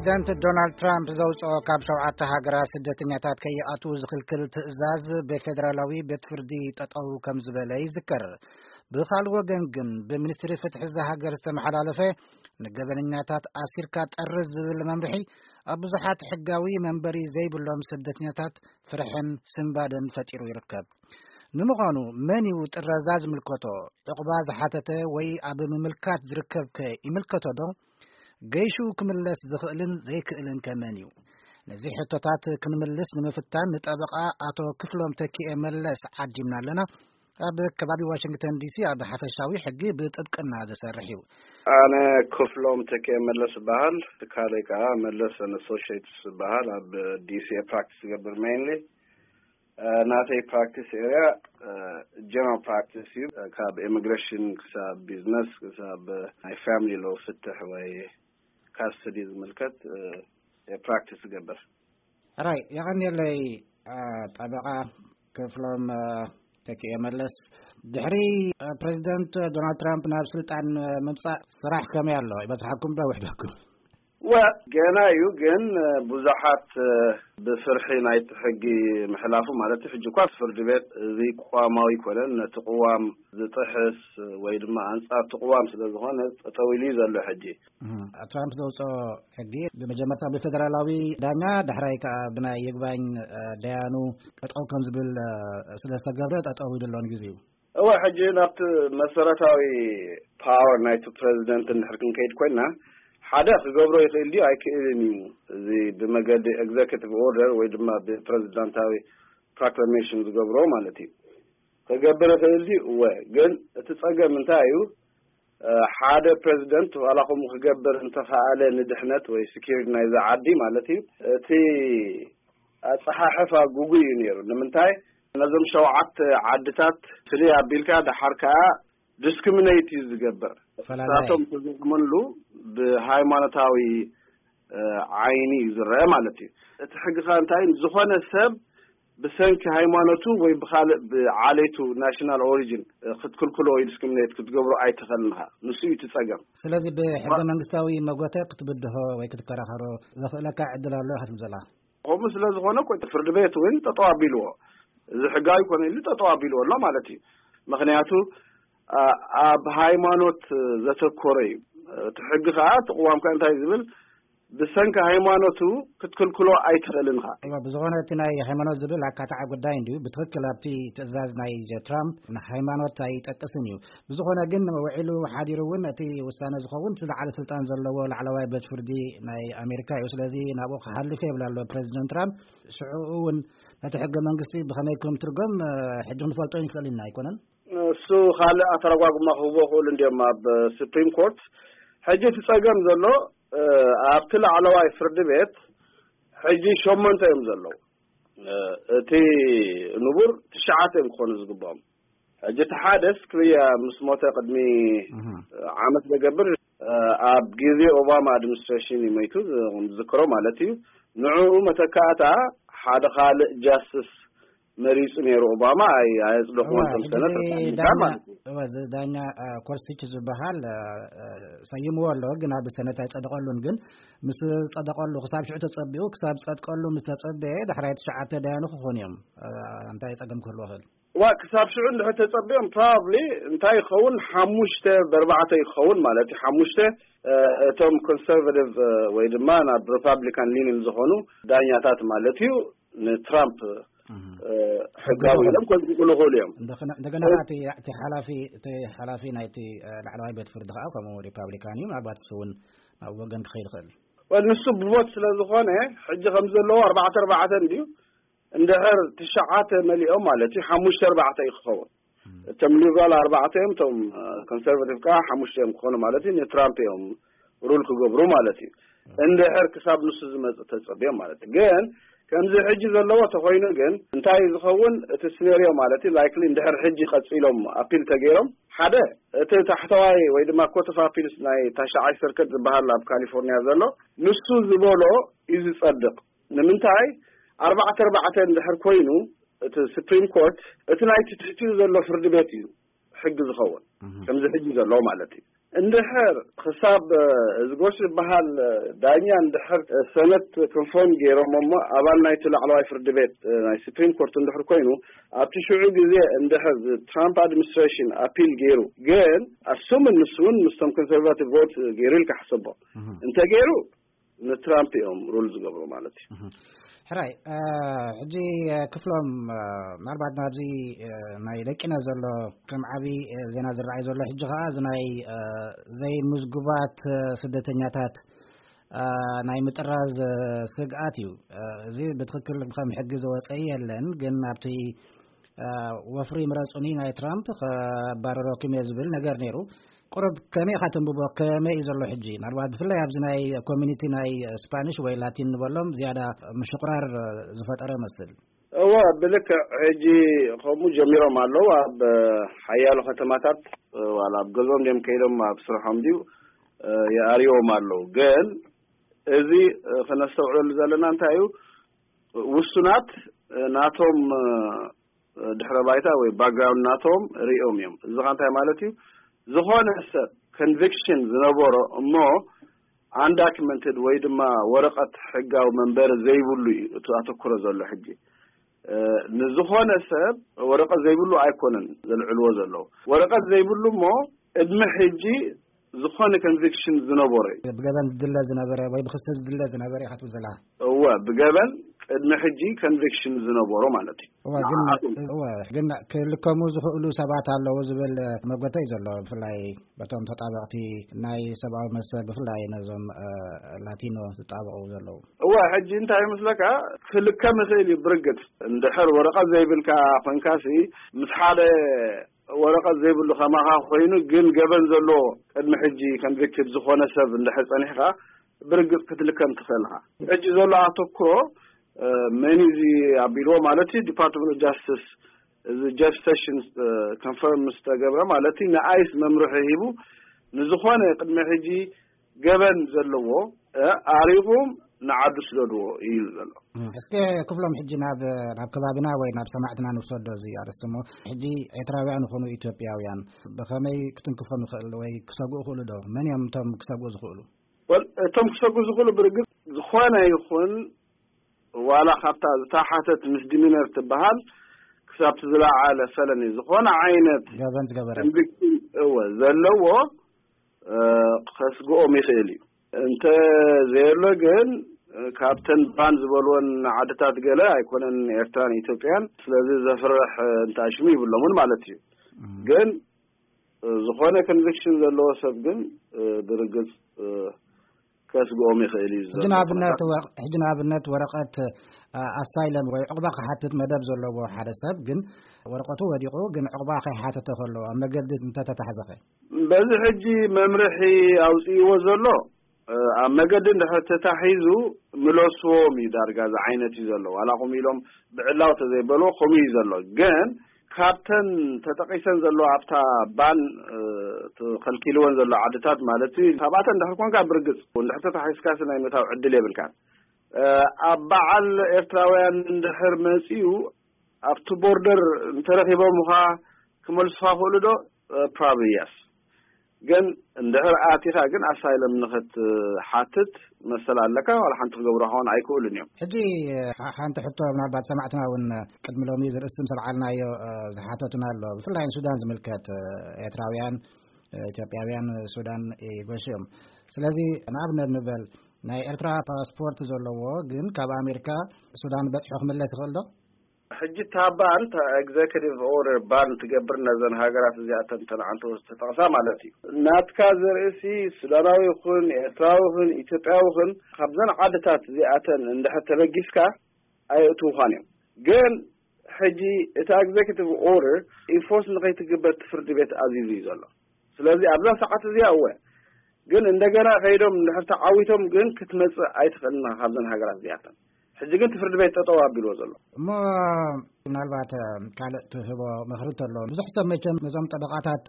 ፕሬዚደንት ዶናልድ ትራምፕ ዘውፅኦ ካብ ሸውዓተ ሃገራት ስደተኛታት ከይኣትዉ ዝኽልክል ትእዛዝ ብፌደራላዊ ቤት ፍርዲ ጠጠው ከም ዝበለ ይዝከር። ብኻልእ ወገን ግን ብሚኒስትሪ ፍትሒ እዛ ሃገር ዝተመሓላለፈ ንገበነኛታት ኣሲርካ ጠርዝ ዝብል መምርሒ ኣብ ብዙሓት ሕጋዊ መንበሪ ዘይብሎም ስደተኛታት ፍርሕን ስንባደን ፈጢሩ ይርከብ። ንምዃኑ መን እዩ ጥረዛ ዝምልከቶ? ዕቑባ ዝሓተተ ወይ ኣብ ምምልካት ዝርከብከ ይምልከቶ ዶ? ገይሹ ክምለስ ዝኽእልን ዘይክእልን ከመን እዩ? ነዚ ሕቶታት ክንምልስ ንምፍታን ንጠበቓ ኣቶ ክፍሎም ተኪኤ መለስ ዓዲምና ኣለና። ኣብ ከባቢ ዋሽንግተን ዲሲ ኣብ ሓፈሻዊ ሕጊ ብጥብቅና ዝሰርሕ እዩ። ኣነ ክፍሎም ተኪኤ መለስ እበሃል። ትካለይ ከዓ መለስ ኣሶሽትስ እበሃል። ኣብ ዲሲ ፕራክቲስ ዝገብር ሜይንሊ። ናተይ ፕራክቲስ ኤርያ ጀነራል ፕራክቲስ እዩ። ካብ ኢሚግሬሽን ክሳብ ቢዝነስ ክሳብ ናይ ፋሚሊ ሎ ፍትሕ ወይ ካስተዲ ዝምልከት ፕራክቲስ ዝገብር። ሕራይ፣ የቐንየለይ። ጠበቓ ክፍሎም ተኪኤ መለስ፣ ድሕሪ ፕሬዚደንት ዶናልድ ትራምፕ ናብ ስልጣን ምምፃእ ስራሕ ከመይ ኣሎ? ይበዝሓኩም ዶ ውሕደኩም? ወ ገና እዩ፣ ግን ብዙሓት ብፍርሒ ናይቲ ሕጊ ምሕላፉ ማለት እዩ። ሕጂ እኳ ፍርዲ ቤት እዚ ቅዋማዊ ኣይኮነን፣ ነቲ ቅዋም ዝጥሕስ ወይ ድማ ኣንጻር እቲ ቅዋም ስለ ዝኾነ ጠጠው ኢሉ እዩ ዘሎ ሕጂ። ትራምፕ ዘውፅኦ ሕጊ ብመጀመርታ ብፌደራላዊ ዳኛ፣ ዳሕራይ ከዓ ብናይ ይግባኝ ደያኑ ጠጠው ከም ዝብል ስለ ዝተገብረ ጠጠው ኢሉ ኣሎ ንግዚኡ። እወ፣ ሕጂ ናብቲ መሰረታዊ ፓወር ናይቲ ፕሬዚደንት እንድሕር ክንከይድ ኮይና፣ ሓደ ክገብሮ ይኽእል ድዩ ኣይክእልን እዩ፣ እዚ ብመገዲ ኤግዘኪቲቭ ኦርደር ወይ ድማ ብፕሬዚዳንታዊ ፕሮክላሜሽን ዝገብሮ ማለት እዩ። ክገብር ይኽእል ድዩ? እወ። ግን እቲ ጸገም እንታይ እዩ? ሓደ ፕሬዚደንት ዋላ ከምኡ ክገብር እንተኸኣለ ንድሕነት ወይ ስኪሪቲ ናይዛ ዓዲ ማለት እዩ፣ እቲ ኣጸሓሕፋ ጉጉይ እዩ ነይሩ። ንምንታይ? ነዞም ሸውዓተ ዓድታት ፍልይ ኣቢልካ ደሓር ከኣ ዲስክሪሚኔት እዩ ዝገብር። ፈላላይ። ንሳቶም ተዘይኣመንሉ ብሃይማኖታዊ ዓይኒ እዩ ዝረአ ማለት እዩ። እቲ ሕጊ ከኣ እንታይ እዩ? ዝኾነ ሰብ ብሰንኪ ሃይማኖቱ ወይ ብኻልእ ብዓሌቱ፣ ናሽናል ኦሪጂን፣ ክትክልክሎ ወይ ዲስክሪሚኔት ክትገብሮ ኣይትኽእልን ኢኻ። ንሱ እዩ እቲ ጸገም። ስለዚ ብሕገ መንግስታዊ መጎተ ክትብድሆ ወይ ክትከራኸሮ ዘኽእለካ ዕድል ኣሎ ኢኻ ትብል ዘለኻ? ከምኡ ስለ ዝኾነ እኮ ፍርዲ ቤት እውን ጠጠው ኣቢልዎ። እዚ ሕጋዊ ኮነ ኢሉ ጠጠው ኣቢልዎ ኣሎ ማለት እዩ። ምኽንያቱ ኣብ ሃይማኖት ዘተኮረ እዩ። እቲ ሕጊ ከዓ እቲ ቅዋም ከዓ እንታይ ዝብል? ብሰንኪ ሃይማኖቱ ክትክልክሎ ኣይትኽእልን ኢኻ። እወ፣ ብዝኾነ እቲ ናይ ሃይማኖት ዝብል ኣካታዒ ጉዳይ እንድዩ። ብትኽክል ኣብቲ ትእዛዝ ናይ ትራምፕ ንሃይማኖት ኣይጠቅስን እዩ። ብዝኾነ ግን ውዒሉ ሓዲሩ እውን እቲ ውሳነ ዝኸውን ዝለዓለ ስልጣን ዘለዎ ላዕለዋይ ቤት ፍርዲ ናይ ኣሜሪካ እዩ። ስለዚ ናብኡ ክሓልፍ የብላ ኣሎ ፕሬዚደንት ትራምፕ። ሽዑ እውን ነቲ ሕገ መንግስቲ ብኸመይ ከም ትርጎም ሕጂ ክንፈልጦ ይንክእል ኢና ኣይኮነን? እሱ ካልእ ኣተረጓጉማ ክህቦ ክእሉ እንዲዮም ኣብ ስፕሪም ኮርት። ሕጂ እቲ ጸገም ዘሎ ኣብቲ ላዕለዋይ ፍርዲ ቤት ሕጂ ሸሞንተ እዮም ዘለዉ። እቲ ንቡር ትሽዓተ እዮም ክኾኑ ዝግብኦም። ሕጂ እቲ ሓደስ ክብያ ምስ ሞተ ቅድሚ ዓመት ዘገብር ኣብ ግዜ ኦባማ ኣድሚኒስትሬሽን እዩ መይቱ ዝዝክሮ ማለት እዩ። ንዕኡ መተካእታ ሓደ ካልእ ጃስትስ መሪጹ ነይሩ ኦባማ። ኣይ ኣየጽደኹዎን እዋ፣ ከም ሕጂ ሰነተር እዚ ሪፓብሊካን ዳኛ ማለት እዩ። እዋ፣ እዚ ዳኛ ኮርሲች ዝበሃል ሰይምዎ ኣሎ፣ ግን ኣብ ሰነት ኣይጸደቐሉን። ግን ምስ ጸደቐሉ ክሳብ ሽዑ ተጸቢኡ ክሳብ ጸድቀሉ ምስ ተጸበየ ዳሕራይ ትሽዓተ ዳያኑ ክኾኑ እዮም። እንታይ ጸገም ክህልዎ ይኽእል? ዋ ክሳብ ሽዑ እንድሕር ተጸቢኦም ፕሮባብሊ እንታይ ይኸውን ሓሙሽተ ብኣርባዕተ ይኸውን ማለት እዩ። ሓሙሽተ እቶም ኮንሰርቫቲቭ ወይ ድማ ናብ ሪፓብሊካን ሊኒን ዝኾኑ ዳኛታት ማለት እዩ ንትራምፕ ሕጋዊ ኢሎም ከጽድቁሉ ይኽእሉ እዮም። እንደገና እቲ ሓላፊ ናይቲ ላዕለዋይ ቤት ፍርዲ ከዓ ከምኡ ሪፓብሊካን እዩ። ምናልባት ንሱ እውን ናብ ወገን ክኸይድ ይኽእል። ወል ንሱ ብቦት ስለ ዝኾነ ሕጂ ከም ዘለዎ ኣርባዕተ ኣርባዕተ እንድዩ። እንድሕር ትሽዓተ መሊኦም ማለት እዩ ሓሙሽተ ኣርባዕተ እዩ ክኸውን። እቶም ሊብራል ኣርባዕተ እዮም፣ እቶም ኮንሰርቫቲቭ ከዓ ሓሙሽተ እዮም ክኾኑ ማለት እዩ። ንትራምፕ እዮም ሩል ክገብሩ ማለት እዩ። እንድሕር ክሳብ ንሱ ዝመጽእ ተጸብዮም ማለት እዩ። ግን ከምዚ ሕጂ ዘለዎ ተኾይኑ ግን እንታይ ዝኸውን እቲ ስኔርዮ ማለት እዩ? ላይክሊ እንድሕር ሕጂ ቀጺሎም ኣፒል ተገይሮም ሓደ እቲ ታሕተዋይ ወይ ድማ ኮት ኦፍ ኣፒልስ ናይ ታሽዓይ ሰርክት ዝበሃል ኣብ ካሊፎርኒያ ዘሎ ንሱ ዝበሎ እዩ ዝጸድቕ። ንምንታይ ኣርባዕተ ኣርባዕተ እንድሕር ኮይኑ እቲ ስፕሪም ኮርት እቲ ናይቲ ትሕቲኡ ዘሎ ፍርዲ ቤት እዩ ሕጊ ዝኸውን ከምዚ ሕጂ ዘሎ ማለት እዩ። እንድሕር ክሳብ እዚ ጎሽ ዝበሃል ዳኛ እንድሕር ሰነት ኮንፎርም ገይሮም እሞ ኣባል ናይቲ ላዕለዋይ ፍርዲ ቤት ናይ ስፕሪም ኮርት እንድሕር ኮይኑ ኣብቲ ሽዑ ግዜ እንድሕር ትራምፕ ኣድሚኒስትሬሽን ኣፒል ገይሩ ግን ኣሱምን ንሱ እውን ምስቶም ኮንሰርቫቲቭ ቮት ገይሩ ኢልካ ሕሰቦ እንተ ገይሩ ንትራምፕ እዮም ሩል ዝገብሩ ማለት እዩ። ሕራይ ሕጂ ክፍሎም ምናልባት ናብዚ ናይ ደቂና ዘሎ ከም ዓብዪ ዜና ዝረኣይ ዘሎ ሕጂ ከዓ እዚ ናይ ዘይምዝጉባት ስደተኛታት ናይ ምጥራዝ ስግኣት እዩ። እዚ ብትክክል ከም ሕጊ ዝወፀ የለን፣ ግን ኣብቲ ወፍሪ ምረፁኒ ናይ ትራምፕ ከባረረኩም እየ ዝብል ነገር ነይሩ። ቁሩብ ከመይ ኢኻ ተንብቦ? ከመይ እዩ ዘሎ ሕጂ? ምናልባት ብፍላይ ኣብዚ ናይ ኮሚኒቲ ናይ ስፓኒሽ ወይ ላቲን ንበሎም ዝያዳ ምሽቁራር ዝፈጠረ መስል። እወ፣ ብልክዕ ሕጂ ከምኡ ጀሚሮም ኣለዉ። ኣብ ሓያሎ ከተማታት ዋላ ኣብ ገዝኦም ድዮም ከይዶም ኣብ ስርሖም ድዩ የኣርዎም ኣለዉ። ግን እዚ ክነስተውዕለሉ ዘለና እንታይ እዩ? ውሱናት ናቶም ድሕረ ባይታ ወይ ባክግራውንድ ናቶም ርእዮም እዮም። እዚ ኸ እንታይ ማለት እዩ? ዝኾነ ሰብ ኮንቪክሽን ዝነበሮ እሞ ኣንዳክመንትድ ወይ ድማ ወረቐት ሕጋዊ መንበሪ ዘይብሉ እዩ እቲ ኣተኩሮ ዘሎ ሕጂ። ንዝኾነ ሰብ ወረቐት ዘይብሉ ኣይኮነን ዘልዕልዎ ዘለዉ። ወረቐት ዘይብሉ እሞ ቅድሚ ሕጂ ዝኾነ ኮንቪክሽን ዝነበሮ እዩ። ብገበን ዝድለ ዝነበረ ወይ ብክስተ ዝድለ ዝነበረ ኢኻ ትብል ዘለኻ? እወ፣ ብገበን ቅድሚ ሕጂ ኮንቪክሽን ዝነበሮ ማለት እዩ። እወ፣ ግን ንዓኹም። እወ፣ ግን ክልከሙ ዝኽእሉ ሰባት ኣለዉ ዝብል መጎተ እዩ ዘሎ፣ ብፍላይ በቶም ተጣበቕቲ ናይ ሰብኣዊ መሰል፣ ብፍላይ ነዞም እ፣ ላቲኖ ዝጣበቑ ዘለዉ። እወ፣ ሕጂ እንታይ ይመስለካ፣ ክልከም ይኽእል እዩ ብርግጽ። እንድሕር ወረቐት ዘይብልካ ኮንካሲ ምስ ሓደ ወረቐት ዘይብሉ ከማኻ ኮይኑ ግን ገበን ዘለዎ ቅድሚ ሕጂ ኮንቪክትድ ዝኾነ ሰብ እንድሕር ጸኒሕካ ብርግጽ ክትልከም ትኽእል ኢኻ። ሕጂ ዘሎ ኣተኩሮ መን እዚ ኣቢልዎ ማለት እዩ ዲፓርትመንት ኦፍ ጃስቲስ እዚ ጀፍ ሴሽንስ ኮንፈርም ምስ ተገብረ ማለት እዩ ንኣይስ መምርሒ ሂቡ ንዝኾነ ቅድሚ ሕጂ ገበን ዘለዎ ኣሪቑም ንዓዱ ስደድዎ እዩ ዘሎ። እስከ ክፍሎም ሕጂ ናብ ናብ ከባቢና ወይ ናብ ሰማዕትና ንውሰዶ እዚ ኣርእስቲ እሞ ሕጂ ኤርትራውያን ይኹኑ ኢትዮጵያውያን ብኸመይ ክትንክፎም ይኽእል ወይ ክሰግኡ ይኽእሉ ዶ? መን እዮም እቶም ክሰግኡ ዝኽእሉ? ወል እቶም ክሰግኡ ዝኽእሉ ብርግጽ ዝኾነ ይኹን ዋላ ካብታ ዝተሓተት ምስ ዲሚነር ትበሃል ክሳብ ዝለዓለ ፈለኒ ዝኾነ ዓይነት ገበን ዝገበረ እወ ዘለዎ ከስግኦም ይኽእል እዩ። እንተ ዘየሎ ግን ካብተን ባን ዝበልወን ዓድታት ገለ ኣይኮነን ኤርትራን ኢትዮጵያን። ስለዚ ዘፍርሕ እንተ ሽሙ ይብሎምን ማለት እዩ። ግን ዝኾነ ኮንቪክሽን ዘለዎ ሰብ ግን ብርግጽ ከስግኦም ይኽእል እዩ። ሕጂ ንኣብነት ሕጂ ንኣብነት ወረቐት ኣሳይለም ወይ ዕቑባ ክሓትት መደብ ዘለዎ ሓደ ሰብ ግን ወረቐቱ ወዲቑ ግን ዕቑባ ከይሓተተ ከሎ ኣብ መገዲ እንተተታሕዘኸ? በዚ ሕጂ መምርሒ ኣውፅእዎ ዘሎ ኣብ መገዲ እንድሕር ተታሒዙ ምለስዎም እዩ ዳርጋ ዝዓይነት እዩ ዘሎ። ዋላ ከምኡ ኢሎም ብዕላው ተዘይበልዎ ከምኡ እዩ ዘሎ። ግን ካብተን ተጠቒሰን ዘሎ ኣብታ ባን ተኸልኪልወን ዘሎ ዓድታት ማለት እዩ። ካብኣተን እንድሕር ኮንካ ብርግፅ እንድሕር ተታሒዝካሲ ናይ ምእታው ዕድል የብልካን። ኣብ በዓል ኤርትራውያን እንድሕር መፂኡ ኣብቲ ቦርደር እንተረኺቦም ምዃ ክመልሱኻ ክእሉ ዶ? ፕራብሊ የስ። ግን እንድሕር ኣቲኻ ግን ኣሳይለም ንኽትሓትት መሰል ኣለካ። ዋላ ሓንቲ ክገብሩ ኸውን ኣይክእሉን እዮም። ሕጂ ሓንቲ ሕቶ ምናልባት ሰማዕትና እውን ቅድሚ ሎሚ ዝርእስም ሰብዓልናዮ ዝሓተቱና ኣሎ። ብፍላይ ንሱዳን ዝምልከት ኤርትራውያን፣ ኢትዮጵያውያን ሱዳን ይጎሹ እዮም። ስለዚ ንኣብነት ንበል ናይ ኤርትራ ፓስፖርት ዘለዎ ግን ካብ ኣሜሪካ ሱዳን በፂሑ ክምለስ ይኽእል ዶ? ሕጂ ታባን ኤግዘኪቲቭ ኦርደር ባን ትገብር ነዘን ሃገራት እዚኣተን ተንዓንተ ዝተጠቕሳ ማለት እዩ። ናትካ ዘርእሲ ሱዳናዊ ይኹን ኤርትራዊ ይኹን ኢትዮጵያዊ ይኹን ካብዘን ዓድታት እዚኣተን እንድሕር ተበጊስካ ኣየእትውኻን እዮም። ግን ሕጂ እቲ ኤግዘኪቲቭ ኦርደር ኢንፎርስ ንኸይትግበር እቲ ፍርዲ ቤት ኣዚዙ እዩ ዘሎ። ስለዚ ኣብዛ ሰዓት እዚኣ እወ ግን እንደገና ከይዶም እንድሕር ተዓዊቶም ግን ክትመፅእ ኣይትኽእልን ኢኻ ካብዘን ሃገራት እዚኣተን። ሕጂ ግን እቲ ፍርዲ ቤት ጠጠው ኣቢልዎ ዘሎ። እሞ ምናልባት ካልእ ትህቦ ምኽሪ እንተሎ ብዙሕ ሰብ መቸም ነዞም ጠበቓታት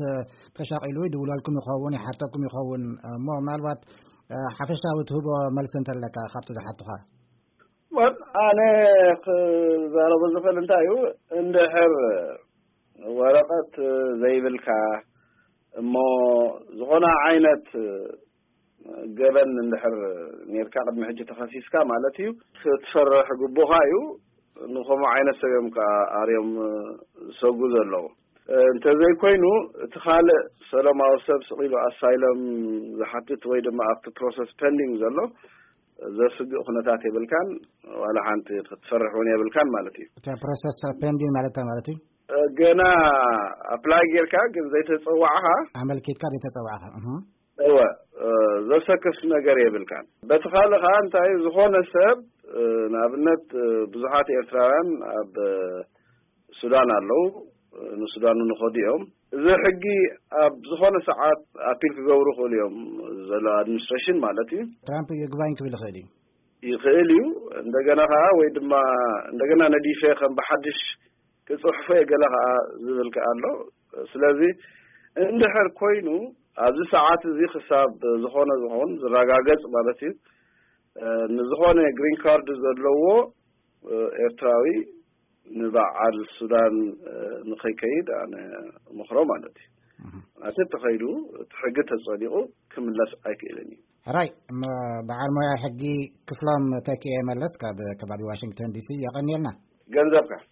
ተሻቒሉ ይድውለልኩም ይኸውን ይሓተኩም ይኸውን እሞ ምናልባት ሓፈሻዊ ትህቦ መልሲ እንተለካ ካብቲ ዝሓቱኻ? ኣነ ክዛረቦ ዝኽእል እንታይ እዩ እንድሕር ወረቐት ዘይብልካ እሞ ዝኾነ ዓይነት ገበን እንድሕር ኔርካ፣ ቅድሚ ሕጂ ተኸሲስካ ማለት እዩ፣ ክትፈርሕ ግቡኻ እዩ። ንኸምኡ ዓይነት ሰብ እዮም ከዓ ኣርዮም ዝሰጉ ዘለዉ። እንተዘይኮይኑ፣ እቲ ካልእ ሰላማዊ ሰብ ስቕ ኢሉ ኣሳይለም ዝሓትት ወይ ድማ ኣብቲ ፕሮሰስ ፐንዲንግ ዘሎ ዘስግእ ኩነታት የብልካን፣ ዋላ ሓንቲ ክትፈርሕ እውን የብልካን ማለት እዩ። እቲ ፕሮሰስ ፔንዲንግ ማለት እንታይ ማለት እዩ? ገና ኣፕላይ ጌርካ ግን ዘይተጸዋዕኻ፣ ኣመልኪትካ ዘይተጸዋዕኻ፣ እህ። እወ፣ ዘሰክፍ ነገር የብልካን። በቲ ካልእ ከዓ እንታይ፣ ዝኾነ ሰብ፣ ንኣብነት፣ ብዙሓት ኤርትራውያን ኣብ ሱዳን ኣለዉ፣ ንሱዳን ንኸዱ እዮም። እዚ ሕጊ ኣብ ዝኾነ ሰዓት ኣፒል ክገብሩ ይኽእሉ እዮም፣ ዘሎ ኣድሚኒስትሬሽን ማለት እዩ። ትራምፕ ይግባኝ ክብል ይኽእል እዩ። ይኽእል እዩ። እንደገና ከዓ ወይ ድማ እንደገና ነዲፈ ከም ብሓድሽ ክጽሕፎ እየ ገለ ከዓ ዝብል ከዓ ኣሎ። ስለዚ እንድሕር ኮይኑ ኣብዚ ሰዓት እዚ ክሳብ ዝኾነ ዝኾን ዝረጋገጽ ማለት እዩ፣ እ፣ ንዝኾነ ግሪን ካርድ ዘለዎ፣ እ፣ ኤርትራዊ ንበዓል ሱዳን፣ እ፣ ንኸይከይድ ኣነ እመኽሮ ማለት እዩ። እህ። ማለት ተኸይዱ እቲ ሕጊ ተጸዲቑ ክምለስ ኣይክእልን እዩ። ሕራይ፣ ም-፣ በዓል ሞያ ሕጊ ክፍሎም ተኪኤ መለስ ካብ ከባቢ ዋሽንግተን ዲሲ የቐንየልና። ገንዘብካ።